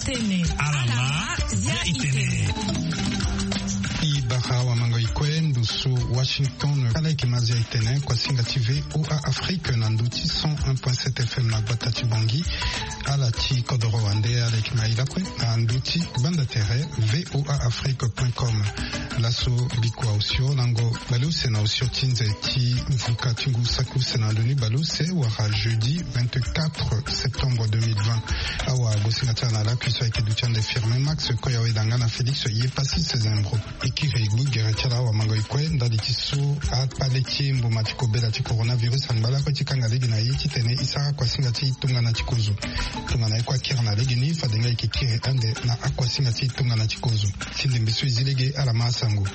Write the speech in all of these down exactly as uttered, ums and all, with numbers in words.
Tene ala ma zia itene. I bara wamango ikue ndusu Washington. Ala eke ma zia itene kuasinga ti VOA Afrique na ndu ti cent un point sept F M na gbata ti Bangui. Ala ti kodoro wande ala eke ma i lakue na ndu ti banda tere VOA Afrique point com. Laso bikua osio lango baleuse na osio ti nze ti vuka ti ngu saki use na ndo ni baleuse wala jeudi vingt-quatre septembre deux mille vingt. Awa gosinga ti ala na lakui so ayeke duti ande Firmin Max Koyaweda nga na Félix Yepassis Zembro. E kiri gbu gere ti ala awamango ikue ndali ti so akpale ti mbuma ti kobela ti coronavirus angba lakue ti kanga lege na ye titene e sara kuasinga ti tongana ti kozo. Tongana ye kue akiri na lege ni fade nga e yeke kiri ande na akuasinga ti tongana ti kozo. Ti ndembe so e zi lege ala ma asango.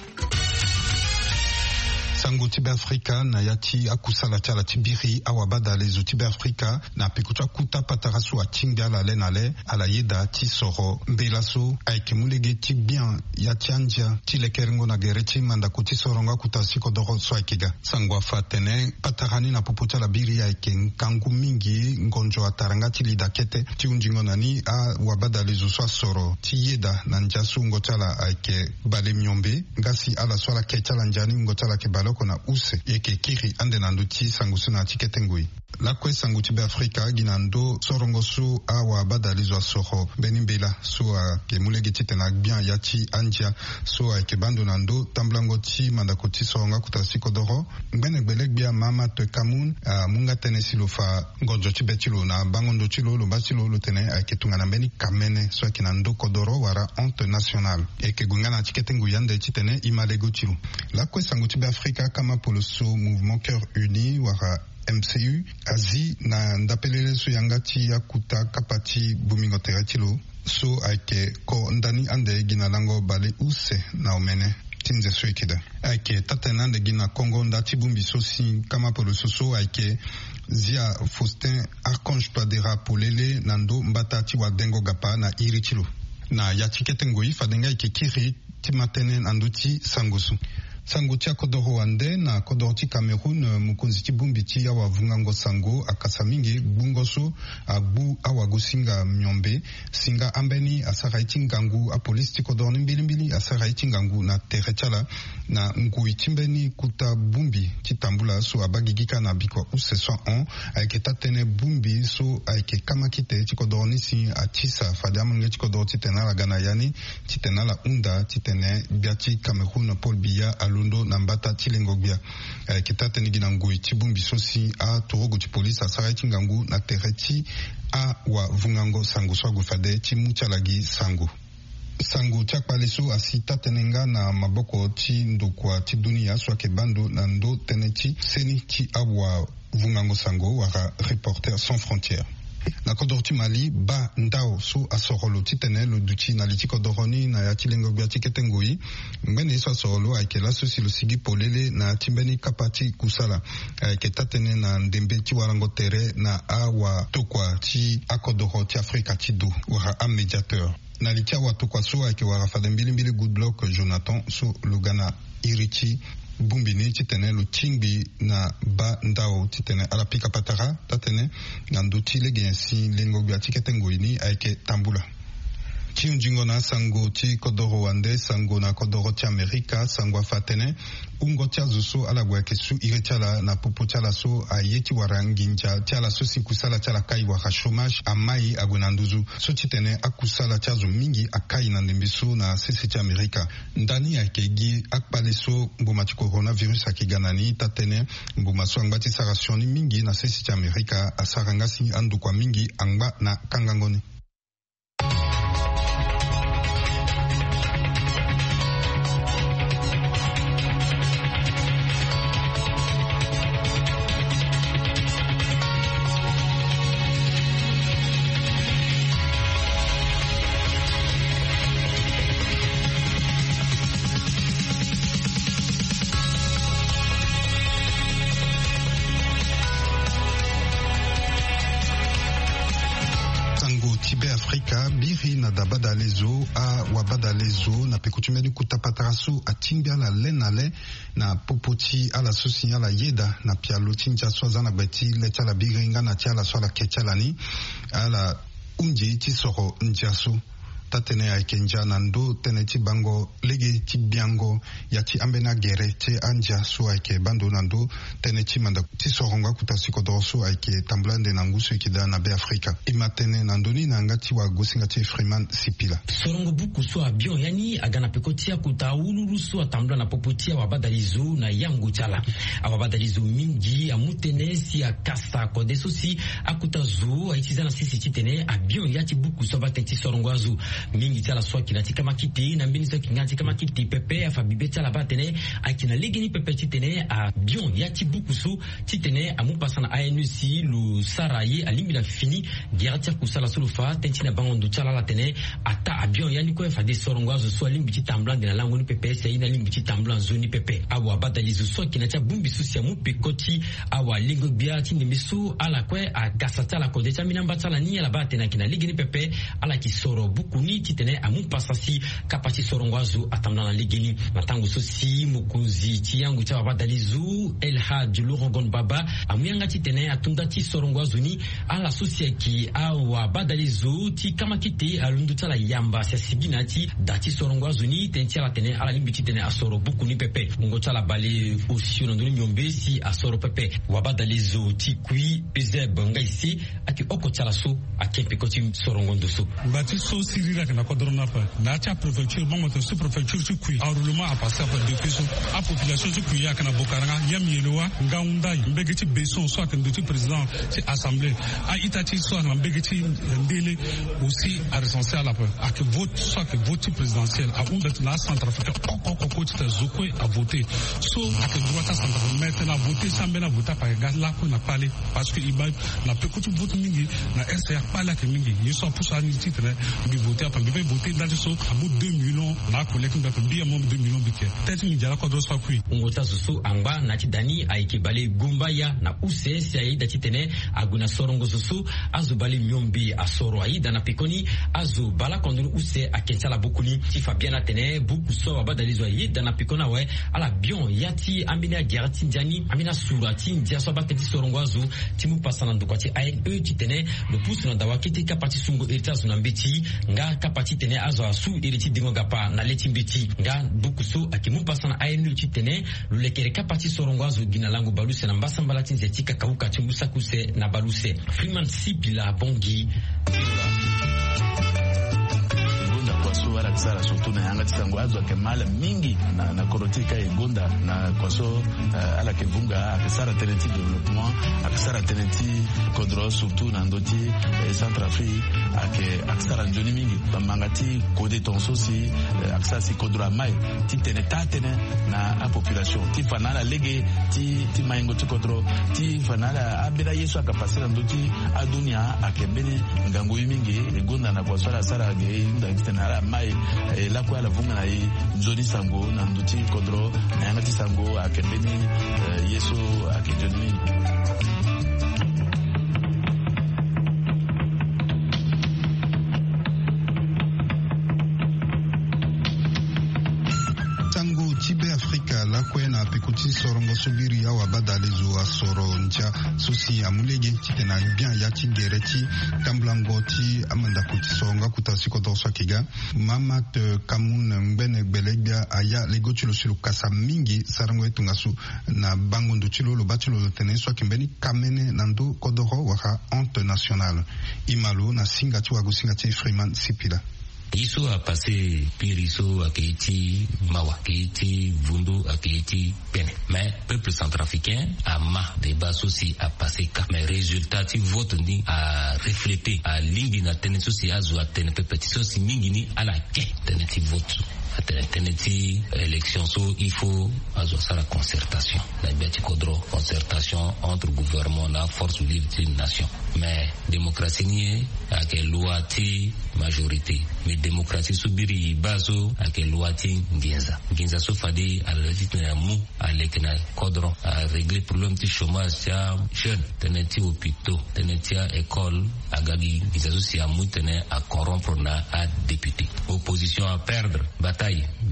Sango ti Beafrika na ya ti akusala ti ala ti biri awabadalezo ti Beafrika na peko ti akuta patara so atingbi ala le na le ala yeda ti soro mbela so ayeke mu lege ti gbia ya ti andia ti lekerengo na gere ti mandako ti sorongo akuta si kodoro so ayeke ga. Sango afa atene patara ni na popo ti ala biri ayeke ngangu mingi ngonzo atara nga ti lida kete ti hunzingo na ni awabadalezo so asoro ti yeda na ndia so wungo ti ala ayeke bale miombe nga si ala so ala ke ti ala ndia ni wungo ti ala ayeke baleoko na use. E yeke kiri ande na ndö ti sango so na ya ti kete ngoi. Lakue sango ti Beafrika gi na ndö sorongo so awabadalezo asoro mbeni mbela so ayeke mu lege titene agbia ya ti andia so ayeke baa ndo na ndö tambulango ti mandako ti sorongo akuta si kodoro. Ngbene gbelegbe Mahamat Kamoun amu nga tënë si lo fa ngonzo ti be ti lo na bango ndo ti lo lo baa ti lo lo tene ayeke tongana mbeni kamene so ayeke na ndö kodoro wala honte nationale. E yeke gue nga na ya ti kete ngoi ande titene e ma lego ti lo. Lakue sango ti Beafrika kama poloso Mouvement Cœur Uni wala M C U azi na ndapelele so yanga ti akuta kapa ti bongbingo tere ti lo so ayeke ko ndani ande gi na lango bale use na omene ti nze so e yeke daa. Ayeke taa-tënë ande gi na kongo nda ti bongbi so si kama poloso so ayeke zia Faustin Archange Touadéra polele na ndö mbata ti wadengo gapa na iri ti lo. Na ya ti kete ngoi fade nga e yeke kiri ti ma tënë na ndö ti sango so. Sango ti akodoro wande na kodoro ti Cameroun, mokonzi ti bongbi ti awavungango sango akasa mingi gbungo so agbu awagosinga miombe si nga ambeni asara ye ti ngangu apolisi ti kodoro ni mbilimbili asara ye ti ngangu na tere ti ala na ngoi ti mbeni kota bongbi ti tambula so abaa gigi kâ na bikua use so ahon. Ayeke taa-tënë bongbi so ayeke kamakite ti kodoro ni si atisa fade amolenge ti kodoro titene ala ga na ya ni titene ala hunda titene gbia ti Cameroun Paul Biya alondo na mbata ti lengo gbia. Ayeke taa-tënë gi na ngoi ti bongbi so si aturugu ti polisi asara ye ti ngangu na tere ti awavungango sango so ague fade ti mu ti ala gi sango. Sango ti akpale so asi taa-tënë nga na maboko ti ndokua ti dunia so ayeke baa ndo na ndö tënë ti seni ti awavungango sango wala Reporters sans frontières. Na kodoro ti Mali baa ndao so asoro lo titene lo duti na li ti kodoro ni na ya ti lengo gbia ti kete ngoi. Ngbene ye so asoro lo ayeke laso si lo sigi polele na ya ti mbeni kapa ti kusala. Ayeke taa-tënë na ndembe ti warango tere na awatokua ti akodoro ti Afrika ti do wala amédiateur. Na li ti awatokua so ayeke wara fade mbilimbili Goodluck Jonathan so lo ga na iri ti bongbi ni titene lo tingbi na baa ndao titene ala pika patara taa-tënë na ndö ti lege nyen si lengo gbia ti kete ngoi ni ayeke tambula. Ti hunzingo na asango ti kodoro wande sango na kodoro ti Amerika sango afa atene wungo ti azo so ala gue ayeke su iri ti ala na popo ti ala so aye ti wara nginza ti ala so si kusala ti ala kai wala chômage amai ague na nduzu so titene akusala ti azo mingi akai na ndembe so na sese ti Amerika. Ndani ayeke gi akpale so mbuma ti coronavirus ayeke ga na ni taa-tënë mbuma so angba ti sara sioni mingi na sese ti Amerika asara nga si andokua mingi angba na kangango ni. Sango ti Be Afrika biri na dabadalezo awabadalezo na peko ti mbeni kota patara so atingbi ala le na le na popo ti ala so si ala yeda na pialo ti ndia so aza na gbe ti le ti ala biri nga na ti ala so ala ke ti ala ni. Ala hunzi ti soro ndia so. Taa-tënë ayeke ndia na ndö tënë ti bango lege ti biango ya ti ambeni agere ti andia so ayeke baa ndo na ndö tënë ti mandako ti sorongo akuta si kodoro so ayeke tambula ande na ngu so eke daa na Be Afrika. E ma tene na ndö ni na yanga ti wagosinga ti Freeman Sipila. Sorongo buku so abion ya ni aga na peko ti akuta awululu so atambula na popo ti awabadalizo na yango ti ala. Awabadalizo mingi amu tënë si akasa kode so si akuta zo aye ti za na sese titene abion ya ti buku so abaa tënë ti sorongo azo. Mingi ti ala so ayeke na ti kamakite na mbeni so ayeke nga na ti kamakite pepe afa bibe ti ala baa atene ayeke na legeni pepe titene abion ya ti buku so titene amu pasa na A N E si lo sara ye alingbi na fini gere ti akusala so lo fa tënë ti na bango ndo ti ala ala tene ataa abion ya ni kue fade sorongo azo so alingbi ti tambula ande na lango ni pepe si aye ni alingbi ti tambula nzoni pepe. Awabadalizo so ayeke na ti abongbi so si amu peko ti awalengo-gbia ti ndembe so ala kue agasa ti ala kode ti ambeni amba ti ala ni ala baa atene ayeke na legeni pepe. Ala yeke soro buku ni titene amu pasa si kapa ti sorongo azo atambula na legeni. Na tango so si mokonzi ti yango ti awabadalizo El Hadj Laurent Gon Baba amu yanga titene atonda ti sorongo azo ni, ala so si ayeke awabadalizo ti kamakite alondo ti ala yamba si asigi na ya ti da ti sorongo azo ni tënë ti ala tene ala lingbi titene asoro buku ni pepe. Wungo ti ala bale osio na ndoni miombe si asoro pepe. Wabadalizo ti kui Eusèbe Ngaise ayeke oko ti ala so ake peko ti sorongo ndo so. Ngba ti so siriri ayeke na kodro ni ape. Na ya ti apréfecture bango tene sous-préfecture ti kui, enroulement apase ape depuis so. Apopulation ti kui ayeke na Bokaranga, Yam Yelewa, Ngaoundai, mbege ti Besson so ayeke ndo ti président ti assemblée. A-ita ti so ayeke na mbege ti Ndele aussi arecense ala ape. Ayeke vote so ayeke vote ti présidentielle ahunda ti na acentrafricain oko oko kue titene zo kue avote. So ayeke droit ti acentrafricain mais tene avote si ambeni avote ape ayeke ga lakue na kpale. Parce que e baa na peko ti vote mingi na R C A kpale ayeke mingi. Ye so apusu ani titene mbi vote ape mbi pe vote nda ti so amu deux millions na akolek mbi ape mbi amu deux millions mbi ke. Tënë ti mbi ndia lakodro so akui. Wungo ti azo so angba na ya ti da ni ayeke bale Gombaya na use si ayeda titene ague na sorongo zo so azo bale miombe asoro ayeda na pekoni. Azo baleoko ndoni use ake ti ala buku ni ti fa biani atene buku so awabadalizo ayeda na pekoni awe. Ala bion ya ti ambeni agere ti ndia ni ambeni asura ti ndia so abaa tënë ti sorongo azo ti mu pasa na ndokua ti A N E titene lo pusu na dawa kete kapa ti sungo iri ti azo na mbeti nga kapa titene azo asu iri ti dengo gapa na le ti mbeti. Nga buku so ayeke mu pasa na A N E titene lo lekere kapa ti sorongo azo gi na lango baleuse na mbasambala ti nze ti kakauka ti ngu saki use na baleuse. Freeman Sipila Bongi. Gonda kua so ala yeke sara surtout na yanga ti sango azo ayeke mal mingi na, na kodro ti e ka e gonda na kua so, eh, ala yeke vunga ayeke sara tënë ti développement, ayeke sara tënë ti kodro surtout na ndö ti, eh, Centrafrique ayeke, ayeke sara nzoni mingi. Bamanga ti kode tongaso si, eh, ayeke sara si kodro amai ti tene taa-tënë na apopulation ti fa na ala lege ti, ti maingo ti kodro ti fa na ala ambeni aye so ayeke pase na ndö ti adunia ayeke mbeni ngangu ye mingi. E gonda na kua so ala sara ge e hunda titene ala mai, eh, lakue ala vunga na e nzoni sango na ndö ti kodro na yanga ti sango ayeke mbeni, eh, ye so ayeke nzoni mingi. Sango ti Be Afrika lakue na peko ti sorongo so biri awabadalezo asoro ndia so si amu lege titene abian ya ti gere ti tambulango ti amandako ti sorongo akuta si kodoro so ayeke ga. Mamat Kamoun ngbene gbele-gbia aya lego ti lo si lo kasa mingi sarango ye tongaso na bango ndo ti lo lo baa ti lo lo tene ye so ayeke mbeni kamene na ndö kodoro wala honte nationale. E ma lo na singa ti wagosinga ti Freeman Sipila. Ye so apase piri so ayeke ye ti mawa, ayeke ye ti vundu, ayeke ye ti pene. Mais peuple centrafricain ama débat so si apase ka. Mais résultat ti vote ni arefléter, alingbi na tënë so si azo atene pepe ti so si mingi ni ala ke tënë ti vote so. Atene tënë ti élection so il faut azo asara concertation na gbia ti kodro, concertation entre gouvernement na force vive ti nation. Mais démocratie ni ayeke loi ti majorité. Mais démocratie so biri e baa so ayeke loi ti nginza. Nginza so fade ala ti tene amu aleke na kodro, arégler problème ti chômage ti ajeune, tënë ti hôpitaux, tënë ti a-école. Aga gi nginza so si amu tene acorrompre na adéputé. Opposition aperdre bataille.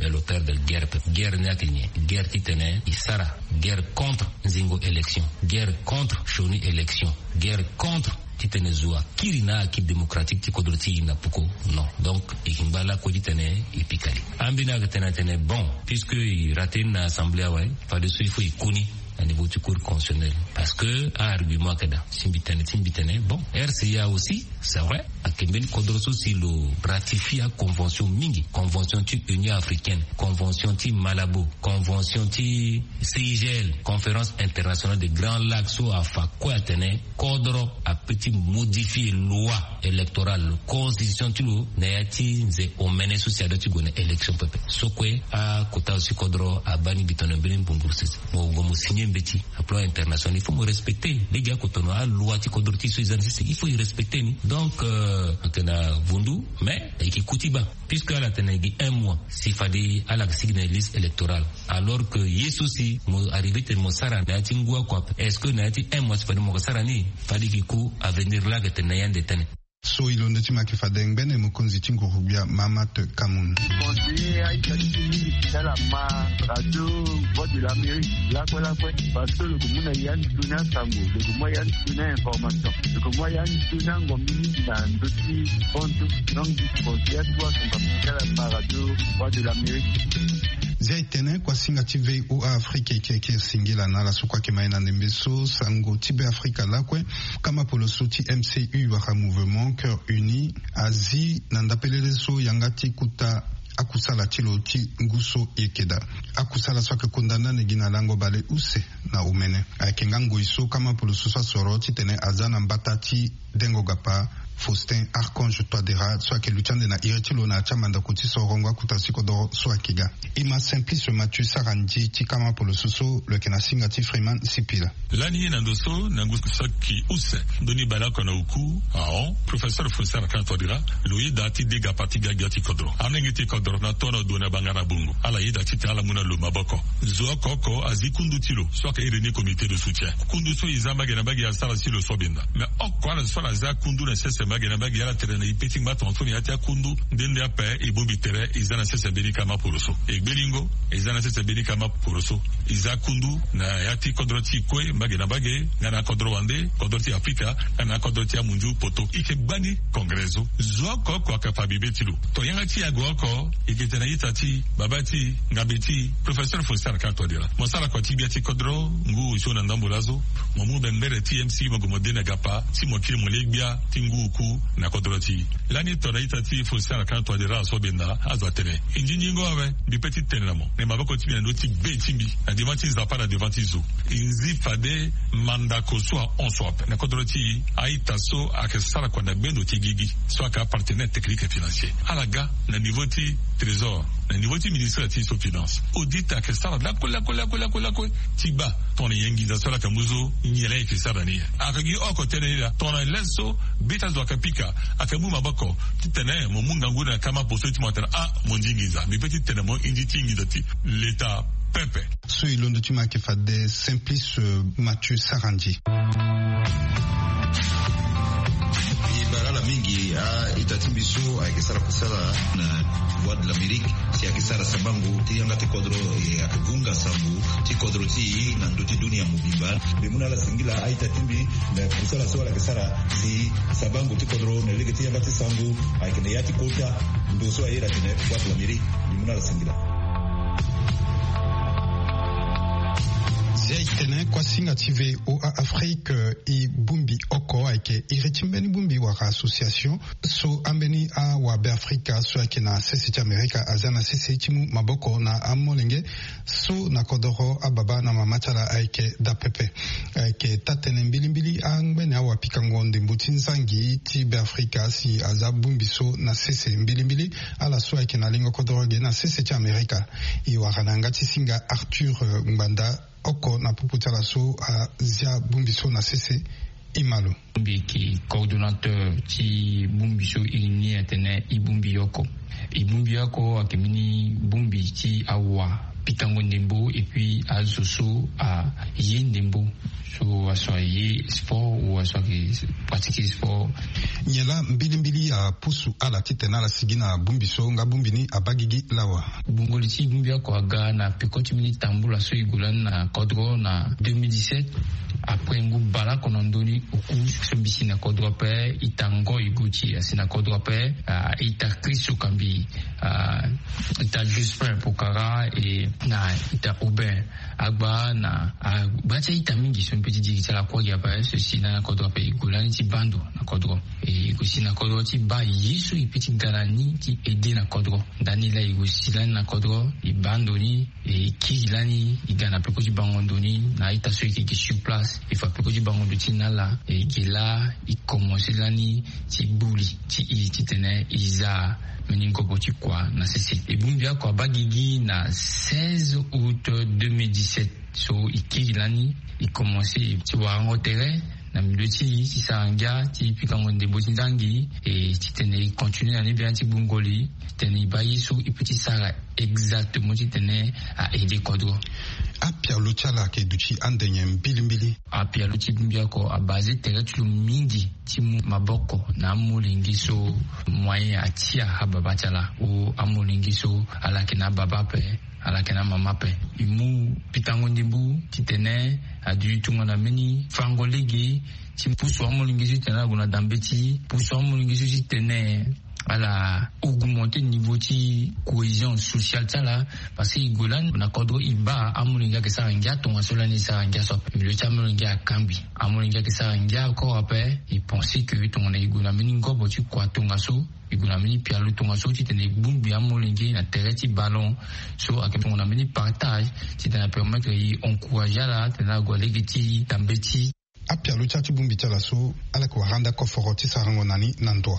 L'auteur de guerre pe guerre ni ayeke nyen? Guerre titene e sara guerre contre nzingo élection, guerre contre sioni élection, guerre contre titene zo akiri na aki démocratique ti kodro ti e na poko. Non, donc e yeke ngba lakue titene e pika li. Ambeni ayeke tene atene bon, puisque e rate ni na assemblée awe, fadeso il faut e ku ni na niveau ti cour constitutionnelle. Parce que a argument ayeke daa si mbi tene ti mbi tene bon, rca aussi, c'est vrai, ayeke mbeni kodro so si lo ratifie aconvention mingi, convention ti union africaine, convention ti Malabo, convention ti CIGL, conférence internationale de grand lac, so afa kue atene kodro ape ti modifier loi électorale, constitution ti lo, na ya ti nze omene so si adua ti gue na élection pepe. So kue akota aussi kodro abaa ni gi tongana mbeni mbungburu sese. Mo gue mo signer mbeti na plan international, il faut mo respecter. Lege akotono aloi ti kodro ti so e za ni sese, il faut e respecter ni. Donc ayeke na vundu, mais e yeke ku ti baa, puisque ala tene gi un mois si fade ala yeke sigi na liste électorale, alors que ye so si mo arriver tene mo sara na ya ti ngu oko ape, est-ce que na ya ti un mois si fade mo yeke sara ni? Fade e yeke ku avenir laa ayeke tene na ya ande tene. So e londo ti ma ayeke fade ngbene mokonzi ti nguru-gbia Mahamat Kamoun. Conseiller aita ti mingi ti ala ma radio Voix de l'Amérique lakue lakue, parce que lo ke mu na ya ni toni asango, lo ke mu ya ni toni a-information, lo ke mu ya ni toni angombi mingi na ndö ti hon ti. Donc conseiller ati wa tonga ti ala ma radio Voix de l'Amérique. Zia e tene kuasinga ti VOA Afrique e yeke singila na ala so kue ayeke ma ye na ndembe so, sango ti Be Afrika lakue, kama polo so ti MCU wala Mouvement Cœur Uni azi na ndapelele so yanga ti kuta akusala ti lo ti ngu so e yeke daa. Akusala so ayeke kunda ndani gi na lango bale use na omene. Ayeke nga ngoi so kama polo so so asoro titene aza na mbata ti dengo gapa Faustin Archange Touadéra so ayeke luti ande na iri ti lo na ya ti amandako ti sorongo akuta ti kodoro so ayeke ga. E ma Simplice Mathieu Sarandji ti kama polo so so lo yeke na singa ti Freeman Sipila. Lani na ndo so na ngu so ayeke use ndoni baleoko na oku ahon, professeur Faustin Archange Touadéra lo yeda ti dega parti gbia gbia ti kodro. Amolenge ti kodro na tonga na ndo na banga na bongo, ala yeda titene ala mu na lo maboko. Zo oko oko azi kundu ti lo so ayeke iri ni comité de soutien. Kundu so e za mbage na mbage asara si lo so benda. Mais oko ala so ala za kundu na sese mbage na mbage, ala tere na e pe ti ngba tongaso na ya ti akundu. Nde nde ape e bongbi tere e za na sese mbeni kama poroso. E gbelingo e za na sese mbeni kama poroso. E za kundu na ya ti kodro ti e kue mbage na mbage, nga na akodro wande, kodro ti Afrika, nga na akodro ti amunzu poto. E yeke gbani congrès so. Zo oko oko ayeke fa bibe ti lo. Tongana yanga ti e ague oko, e yeke tene na ita ti e, babâ ti e, ngambe ti e, professeur Faustin Archange Touadéra, mo sara kua ti gbia ti kodro ngu osio na ndambo laso. Mo mu bembere ti MCU, mo gue mo de na gapa ti mo kiri mo le gbia ti ngu oku na kodro ti e. Lani tongana ita ti e Faustin Archange Touadéra aso benda, azo atene e nzinzingo awe. Mbi pe ti tene na mo na maboko ti mbi na ndö ti be ti mbi, na devant ti Nzapa, na devant ti zo. E nzi fade mandako so ahon so ape na kodro ti e. A-ita so ayeke sara kua na gbendo ti gigi so ayeke apartenaire technique et financier, ala ga na niveau ti trésor, na niveau ti ministère ti so finance. Audit ayeke sara lakue lakue lakue lakue lakue ti baa tongana nyen nginza so ala yeke mu so, nyen la e yeke sara na ni. Ayeke gi oko tënë ni laa, tongana le so be ti azo ayeke pika, ayeke mu maboko titene mo mu ngangu na kama poroso ti mo atene ah, mo ndi nginza. Mbi pe ti tene mo, e ndi ti nginza ti leta pepe. So e londo ti mo ayeke fade Simplice, euh, Mathieu Sarandji. E bara ala mingi a-ita ti mbi so ayeke sara kusala na Voix de l'Amérique, si ayeke sara sabango ti yanga ti kodro, e ayeke vunga sango ti kodro ti e na ndö ti dunia mobimba. Mbi mu na ala singila a-ita ti mbi na kusala so ala yeke sara si sabango ti kodro na lege ti yanga ti sango ayeke na ya ti kota ndo so aye atene Voix de l'Amérique. Mbi mu na ala singila. Si ayeke tene kuasinga ti VOA Afrique, euh, e bongbi oko ayeke iri ti mbeni bongbi wala association so ambeni awabe Afrika so ayeke na sese ti Amerika aza na sese ti mu maboko na amolenge so na kodoro ababa na mama ti ala ayeke daa pepe. Ayeke taa-tënë mbilimbili angbene awapikango ndembo ti nzangi ti Be Afrika si aza bongbi so na sese mbilimbili ala so ayeke na lengo kodoro ge na sese ti Amerika. E wara na yanga ti singa Arthur, euh, Ngbanda oko na popo ti ala so azia bongbi so na sese. E ma lo. Mbi yeke coordonnateur ti bongbi so e ni atene e bongbi oko. E bongbi oko ayeke mbeni bongbi ti awa pikango ndembo et puis azo so aye ndembo, so aso aye sport ou aso ake pratique sport. Nyen laa mbilimbili apusu ala titene ala sigi na bongbi so nga bongbi ni abaa gigi lawa? Gbongoli ti bongbi oko aga na peko ti mbeni tambula so e gue lani na kodro na deux mille dix-sept. Après ngu baleoko na ndoni oku so mbi si na kodro ape, ita Ngoy Gauthier asi na kodro ape, ah, ita Chris Okambi, ah, ita Jospin Pokara et na ita Aubin Agba na, ah, gba ti a-ita mingi so mbi pe ti diri ti ala kue gi ape so e si lani na kodro ape. E gue lani ti baa ndo na kodro, e gue si na kodro ti baa ye so e pe ti ga na ni ti aide na kodro. Ndani laa e gue si lani na kodro, e baa ndo ni, e kiri lani, e ga na peko ti bango ndo ni na a-ita so e yeke gi sur place. E fa peko ti bango ndo ti e na ala, e ge laa e komanse lani ti gbu li ti e titene e za mbeni ngobo ti kua na sese. E bongbi oko abaa gigi na seize août deux mille dix-sept. So e kiri lani, e komanse ti warango tere na milieu ti e ti sara ngia ti pikango ndembo ti nzangi, e titene e continue na ni bia ti gbongoli titene e baa ye so e pe ti sara exactement titene a aide kodro. Apialo ti ala ayeke duti ande nyen mbilimbili? Apialo ti bongbi oko abase tere ti lo mingi ti mu maboko na amolenge so moyen atia ababa ti ala, ou amolenge so ala yeke na ababa ape, ala yeke na amama ape. E mu pikango ndembo titene aduti tongana mbeni fango lege ti pusu amolenge so titene ala gue na dambe ti e, pusu amolenge so titene ala augmenter niveau ti cohésion sociale ti ala. Parce que e gue lani na kodro e baa amolenge ayeke sara ngia tongaso lani e sara ngia so ape. Milieu ti amolenge akangbi. Amolenge ayeke sara ngia encore ape. E pense que tongana e gue na mbeni ngobo ti kua tongaso, e gue na mbeni pialo tongaso titene e bongbi amolenge na tere ti ballon so ayeke tongana mbeni partage titene apermettre e encourager ala titene ala gue na lege ti dambe ti e. Apialo ti ala ti bongbi ti ala so, ala yeke wara ande akoforo ti sarango na ni na ndo?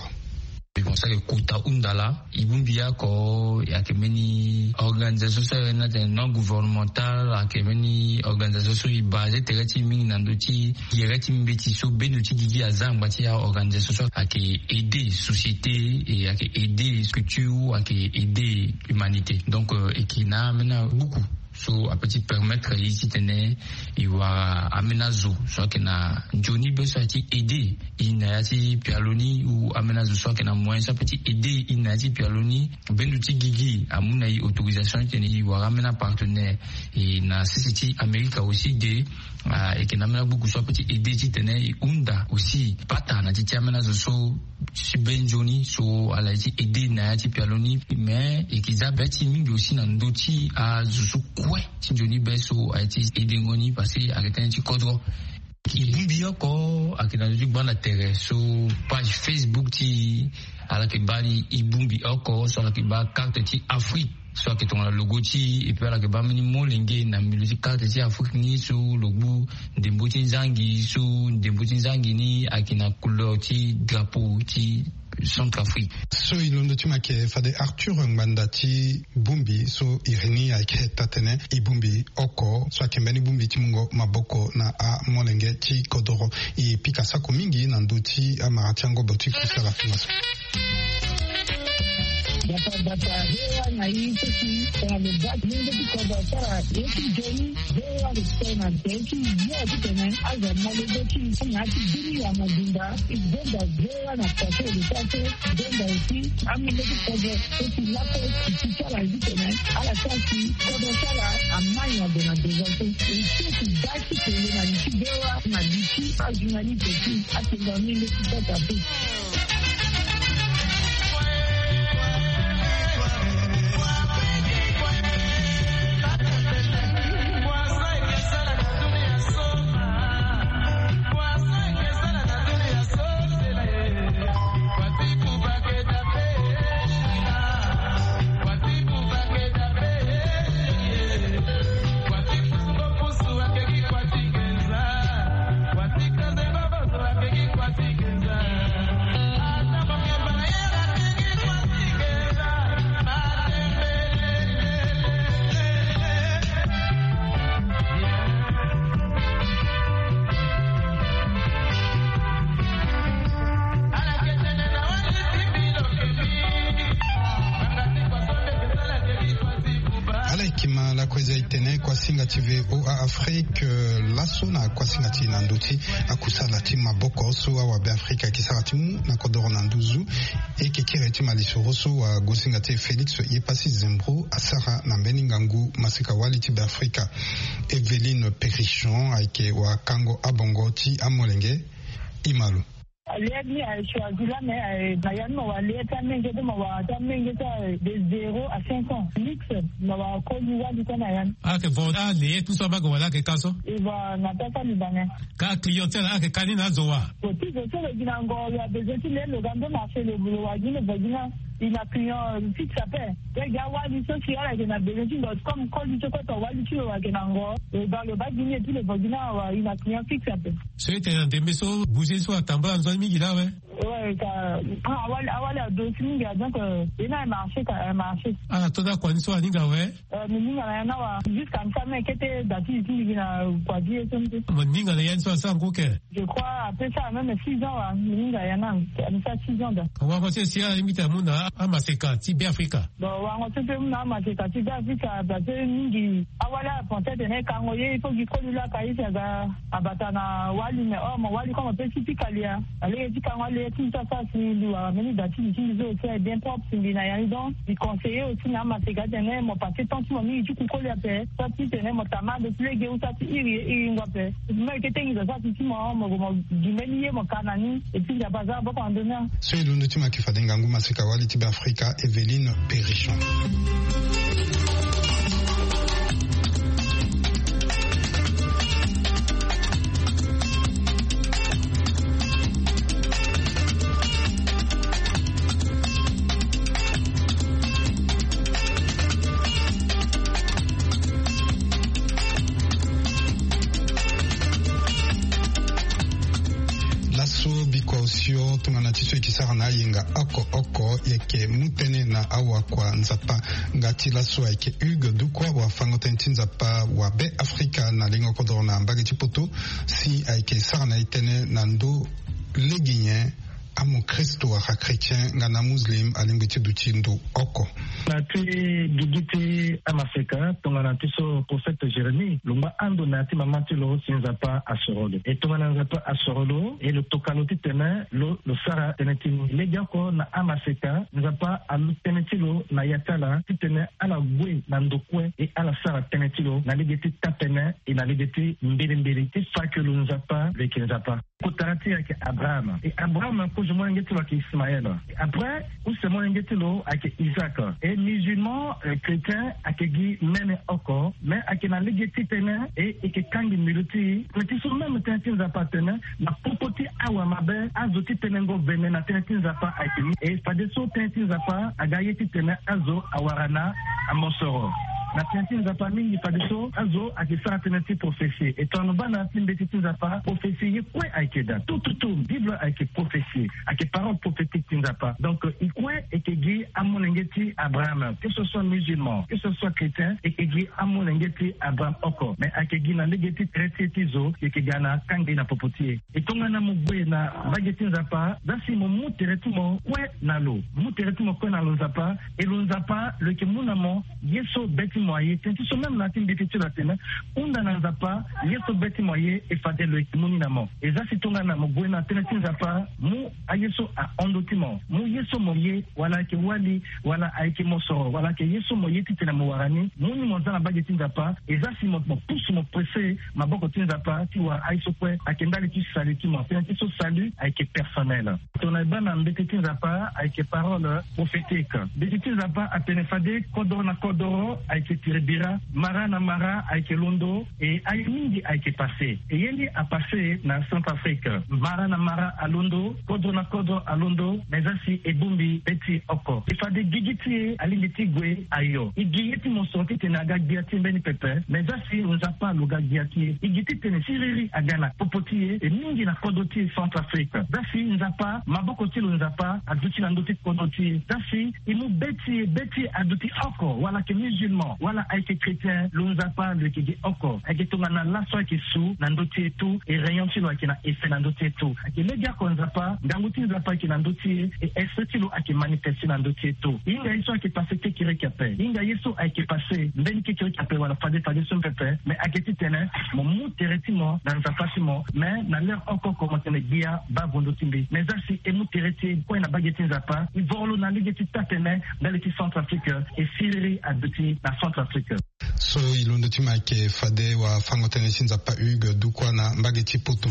E bongbi so ayeke kota hunda laa. E bongbi oko ayeke mbeni organisation so ayeke na tene non gouvernemental, ayeke mbeni organisation so e base tere ti e mingi na ndö ti yere ti mbeti so bendo ti gigi aza angba ti a-organisation so ayeke aider société, e ayeke aider culture, ayeke aider humanité. Donc, euh, e yeke na ambeni abuku so ape ti permettre e titene e wara ambeni azo so ayeke na nzoni be so aye ti aider e na ya ti pialo ni, ou ambeni azo so ayeke na moyen so ape ti aider e na ya ti pialo ni. Bendo ti gigi amu na e autorisation titene e wara ambeni apartenaire. E na sese ti Amerika aussi de, ah, e yeke na ambeni abuku so ape ti aider titene e hunda aussi pata na ti ti ambeni azo so ti be nzoni so ala ye ti aider na ya ti pialo ni. Mais e yeke za be ti e mingi aussi na ndö ti azo so kue ti nzoni be so aye ti aidengo ni, parce que ayeke tënë ti kodro. E bongbi oko ayeke na ndö ti gbanda tere so page Facebook ti e, ala yeke baa ni e bongbi oko so ala yeke baa carte ti Afrique so ayeke tongana logo ti e, et puis ala yeke baa mbeni molenge na milieu ti carte ti Afrique ni so lo gbu ndembo ti nzangi, so ndembo ti nzangi ni ayeke na couleur ti drapeau ti Centrafrique. So e londo ti mo ayeke fade Arthur Ngbanda ti bongbi so iri ni ayeke taa-tënë e bongbi oko so ayeke mbeni bongbi ti mungo maboko na amolenge ti kodoro. E pika sako mingi na ndö ti amara ti angobo ti kusala tongaso. Bata bata, V O A na e so si tongana lo baa ti mungo ti kodro asara ye ti nzoni. V O A lo tene na tere ti yo titene azo amolenge ti e na ya ti bini ya mobimba. E zonza V O A na kua so e lo sara so, e zonza aussi amolenge ti kodro so si lakue e si ti ala ye titene ala sara si kodro ti ala amai na gue na devant so. E so si baa ti tene na li ti V O A na li ti ajournaliste ti atengo amolenge ti Centrafrique. Ala yeke ma lakue za etene kuasinga ti V O A Afrique, laso na kuasinga ti e na ndö ti akusala ti maboko so awabe Afrika ayeke sara ti mu na kodoro na nduzu. E yeke kiri ti malisoro so wagosinga ti e Félix Yepasi Zembro asara na mbeni ngangu maseka wali ti Beafrika. Evelyne Perrichon ayeke wakango abongo ti amolenge. Imalo. Alert ni a choisi la, mais na ya ni ma wa alert amenge de ma wa ata amenge sa de zéro à cinq ans. Mix ma wa koli wali ta na ya ni. Ake vo a le tout ça ba go wala ke kaso. E va na ta sa ni bane. Ka clientèle ake kani na zo wa. Ko ti zo so lo gi na ngo ya besoin ti le lo ga ndo marché lo bulo wa gi le vagina. Il a client fixe ape. Pe ga wali so si ala ke na besoin ti ndo comme koli so ko to wali ti lo wa ke na ngo. E ba lo ba gi ni et puis le vagina wa il a client fixe ape. So ete na ndembe so bouger so atambula nzoni mingi la we. Ouais, ka awali awali adosi mingi a donc e na marché ka marché. Ala to da kua ni so aninga we. Mi ninga na ya na wa jusqu'à mi sa me kete dati ti mingi na kua di ye so mi te. Mo ninga na ya ni so asa ngo ke. Je crois après ça même six ans wa mi ninga ya na mi sa six ans da. Wa ko se si ala limite amu na amaseka ti Beafrika. Bon, wango so mpe mu na amaseka ti Beafrika parce que mingi awali apense atene e kango ye il faut gi koli laka ye si aga abata na wali mais or mo wali comme ape si ti kalia. Alege ti kango alege ti mbi so asara si mbi wara mbeni da ti mbi ti mbi so aussi est bien propre si mbi na ya ni donc mbi conseiller aussi na amaseka atene mo passer temps ti mo mingi ti ku koli ape. So ti tene mo tama ando ti lege ou sa ti iri ye iri ngua ape. Mo yeke tengi zo sa ti ti mo mo mo gi mbeni ye mo ka na ni. Et puis nzapa aza aboko na ndö ni. So e londo ti ma yeke fade ngangu maseka wali ti Beafrika Evelyne Perrichon. Laso bikua osio tongana ti so e ke sara na ayenga oko oko e yeke mu tënë na awakua nzapa. Nga ti laso ayeke Hugues Dukwa wafango-tënë ti nzapa wa Be Afrika na lengo kodoro na mbage ti poto. Si ayeke sara na e tënë na ndö lege nyen amokristo wala chrétien nga na muslim alingbi ti duti ndo oko. Na ti gigi ti amaseka tongana ti so prophète Jérémie lo ngba ando na ya ti mama ti lo si nzapa asoro lo e tongana nzapa asoro lo e lo toka lo titene lo lo sara tënë ti ni lege oko na amaseka nzapa alu tënë ti lo na ya ti ala titene ala gue na ndo kue e ala sara tënë ti lo na lege ti tapene e na lege ti mbilimbili ti fa ke lo nzapa lo yeke nzapa. Kotara ti e ayeke Abraham. E Abraham kozo molenge ti lo ayeke Ismaël. E après use molenge ti lo ayeke Isaac. E musulman, euh, chrétien ayeke gi mene oko. Mais ayeke na lege ti tënë e e yeke kangi mbilu ti e. Mais ti so même tënë ti nzapa atene na popo ti awa mabe azo ti tënë ngo vene na tënë ti nzapa ayeke ni. E fadeso tënë ti nzapa aga ye titene azo awara na amosoro. Na tënë ti nzapa mingi fadeso azo ayeke sara tënë ti prophesie. E tongana lo baa na ya ti mbeti ti nzapa prophesie ye kue ayeke daa. Tout tout tout bible ayeke prophesie. Ayeke parole prophétique ti nzapa. Donc e kue e yeke gi amolenge ti Abraham, que ce soit musulman, que ce soit chrétien, e yeke gi amolenge ti Abraham oko. Mais ayeke gi na lege ti tere ti e ti zo e yeke ga na kangbi na popo ti e. E tongana mo gue na mbage ti nzapa za si mo mu tere ti mo kue na lo, mu tere ti mo kue na lo nzapa. E lo nzapa lo yeke mu na mo ye so be ti mo aye. Tënë ti so même na ya ti mbeti ti lo atene hunda na nzapa ye so be ti mo aye e fade lo yeke mu ni na mo. E za si tongana mo gue na tënë ti nzapa mu aye so ahon ndö ti mo, mu ye so mo ye wala ayeke wali wala ayeke mosoro wala ayeke ye so mo ye titene mo wara ni mu ni mo za na mbage ti nzapa. E za si mo mo pusu mo presse maboko ti nzapa ti wara aye so kue ayeke ndali ti salut ti mo. Tënë ti so salut ayeke personnel. Tongana e baa na mbeti ti nzapa ayeke parole prophétique. Mbeti ti nzapa atene fade kodoro na kodoro ayeke tiri bira, mara na mara ayeke londo. E aye mingi ayeke passe. E ye ni apasse na Centrafrique. Mara na mara alondo, kodro na kodro alondo. Mais za si e bongbi be ti e oko e fade gigi ti e alingbi ti gue ayo. E gi ye ti mosoro titene aga gbia ti e mbeni pepe. Mais za si nzapa lo ga gbia ti e e gi titene siriri aga na popo ti e e mingi na kodro ti e Centrafrique. Za si nzapa maboko ti lo nzapa aduti na ndö ti kodro ti e. Za si e mu be ti e be ti e aduti oko wala ayeke musulman. Wala ayeke chrétien, lo Nzapa lo yeke gi oko. Ayeke tongana laso ayeke su na ndö ti e tout, e rayon ti lo ayeke na effet na ndö ti e tout. Ayeke lege oko Nzapa, ngangu ti Nzapa ayeke na ndö ti e, e esprit ti lo ayeke manifeste na ndö ti e tout. Hinga ye so ayeke passe kekereke ape. Hinga ye so ayeke passe mbeni kekereke ape wala fade fade so pepe. Mais ayeke titene mo mu tere ti mo na Nzapa ti mo. Mais na l'heure oko oko mo tene gbia baa vo ndö ti mbi. Mais za si e mu tere ti e kue na mbage ti Nzapa, e voro lo na lege ti taa-tene ndali ti Centrafrique, e siriri aduti na Centrafrique. So e londo ti mo ayeke fade wafango-tënë ti Nzapa Hugues Dukwa na mbage ti Poto.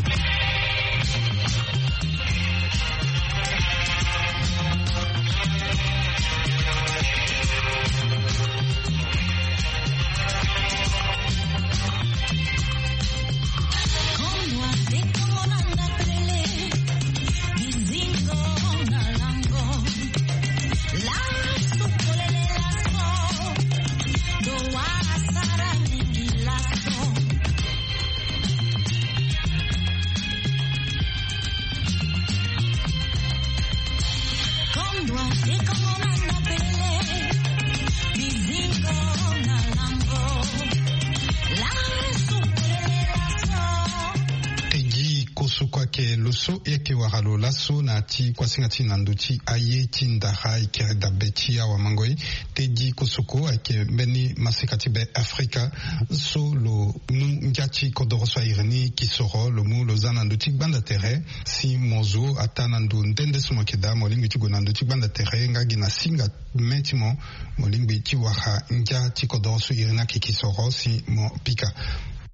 Tegi kosoko ayeke lo so e yeke wara lo laso na ya ti kuasinga ti na ndö ti aye ti ndara e kiri dabe ti awamangoi. Tegi kosoko ayeke mbeni maseka ti be Afrika so lo mu ngia ti kodoro so a iri ni kisoro, lo mu lo za na ndö ti gbanda tere. Si mo zo ataa na ndo nde nde so mo yeke daa, mo lingbi ti gue na ndö ti gbanda tere nga gi na singa me ti mo, mo lingbi ti wara ngia ti kodoro so iri ni ayeke kisoro si mo pika.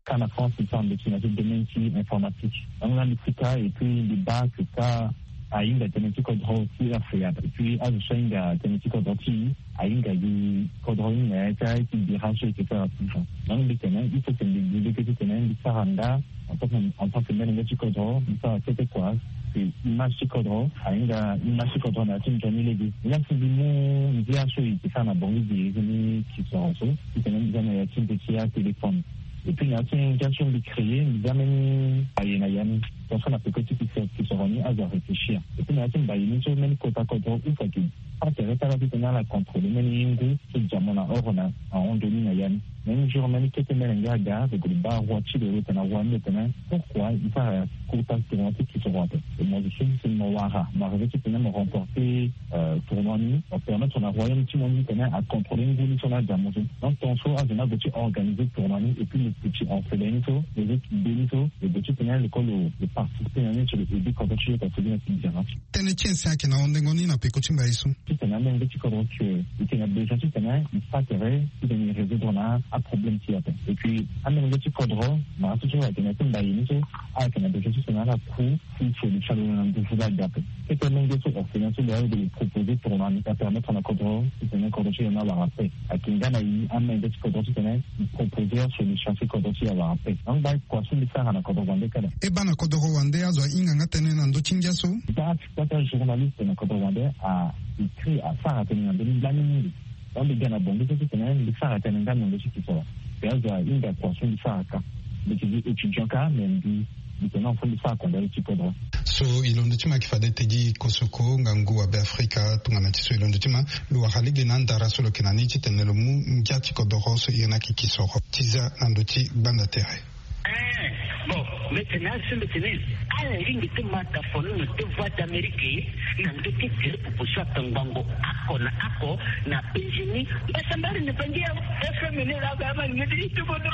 Ka na France, mbi sara ndo ti na ti domaine ti informatique. Donc nga mbi pika et puis mbi baa que ka ahinga tënë ti kodro ti Afrika. Et puis azo so ahinga tënë ti kodro ti e, ahinga gi kodro ni na ya ti aye ti bira so e yeke sara ti fa. Donc mbi tene il faut que mbi gi lege titene mbi sara nda en tant que, en tant que mbeni ngia ti kodro, mbi sara kete kua. Que image ti kodro ahinga image ti kodro na ya ti nzoni lege. Nga si mbi mu ngia so e yeke sara na Bangui gi iri ni kisoro so, titene mbi za na ya ti mbi ti atéléphone. Et puis na ya ti ngia so mbi créer, mbi za mbeni mbaye na ya ni. Tongaso na peko ti kisoro, kisoro ni azo aréfléchir. Et puis na ya ti mbaye ni so mbeni kota kodro ou fa ke pas tere ti ala titene ala contrôler mbeni ngu so dia mo na oro na ahon nzoni na ya ni. Même jour mbeni kete mbeni ngia aga, donc lo baa roi ti lo, lo tene na roi ni, lo tene pourquoi e sara kota tournoi ti kisoro ape. Et mo zo so si mo wara, mo arriver titene mo remporter, euh, tournoi ni, mo permettre na royaume ti mo ni titene a contrôler ngu ni so na adia mo so. Donc tongaso azo ni ague ti organiser tournoi ni, et puis lo petit orphelin ni so, lo zo ti be ni so, lo gue titene lo kue lo, lo participer na ni ti lo aider kodro ti lo, parce que na ti bira. Tënë ti ese ayeke na hondengo ni na peko ti mbaye so. Titene amolenge ti kodro ti e, e yeke na besoin titene e sara tere titene e résoudre na aproblème ti e ape. Et puis amolenge ti kodro, mara so so ayeke na ya ti mbaye ni so, ayeke na besoin titene ala ku ti solution lo na nduzu laa aga ape. Kete amolenge so orphelin so lo ya lo proposer tournoi ni, apermettre na kodro titene kodro ti lo ni awara paix. Ayeke nga na e amolenge ti kodro titene e proposer solution ti kodro ti e awara paix. Donc baa kua so mbi sara na kodro wande kala. E baa na kodro wande azo ahinga nga tënë na ndö ti ngia so. Baa ti kota journaliste na kodro wande a écrit, asara tënë na ndö ni lani mingi. Donc mbi ga na Bangui so titene mbi sara tënë nga na ndö ti kisoro. Mbi azo ahinga kua so mbi sara ka. Mbi yeke gi étudiant ka, mais mbi, mbi tene na fo mbi sara kua ndali ti kodro. So e londo ti mo ayeke fade Teddy Kosoko, ngangu wa Beafrika, tongana ti so e londo ti mo, lo wara lege na andara so lo yeke na ni titene lo mu ngia ti kodoro so iri ni ayeke kisoro ti za na ndö ti gbanda tere. Eh, bon, mbi tene azo so mbi tene ala lingbi ti ma ta foni na deux voix d'Amérique na ndö ti tele popo so akangbango oko na oko na Benjini. Mbasambala na bangi ya F M ni la ba ma ni ti tubono.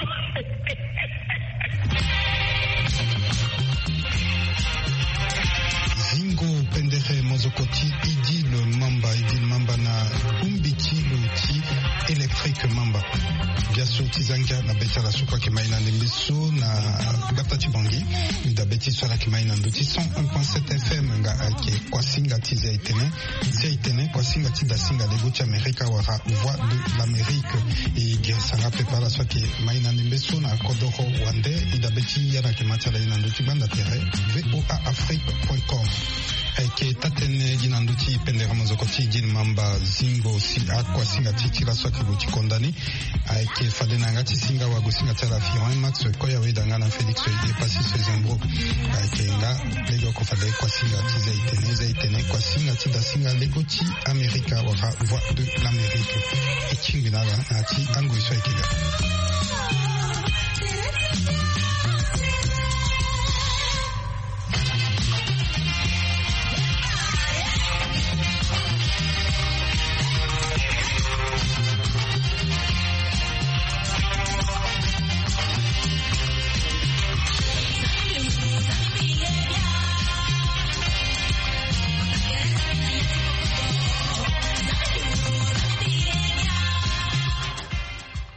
Zingo pendere mozoko ti Idil Mamba, Idil Mamba na bongbi ti lo ti Électrique Mamba. Biaso ti za ngia na be ti ala so kue ayeke mai na ndembe so na gbata ti Bangui. Mbi dabe ti so ala yeke mai na ndö ti cent un point sept F M nga ayeke Kuasinga ti Zia Etene. Zia Etene, Kuasinga ti Dasinga, Lego ti Amerika wala Voix de l'Amérique. E gere sara pepe ala so ayeke mai na ndembe so na kodoro wande. E dabe ti ya na yeke ma ti ala ye na ndö ti gbanda tere, V O A Afrique point com. Ayeke taa-tënë gi na ndö ti pendere mozoko ti gi na mamba zingo si akuasinga ti ti laso ayeke gue ti konda ni. Ayeke fade na yanga ti singa wagosinga ti ala Firon Max Koya, weda nga na Félix Epassis Zembro. Ayeke nga lege oko fade kuasinga ti Zaitene, Zaitene kuasinga ti dasinga lego ti Amerika wala Voix de l'Amérique. E tingbi na ala na ya ti angoi so ayeke ga.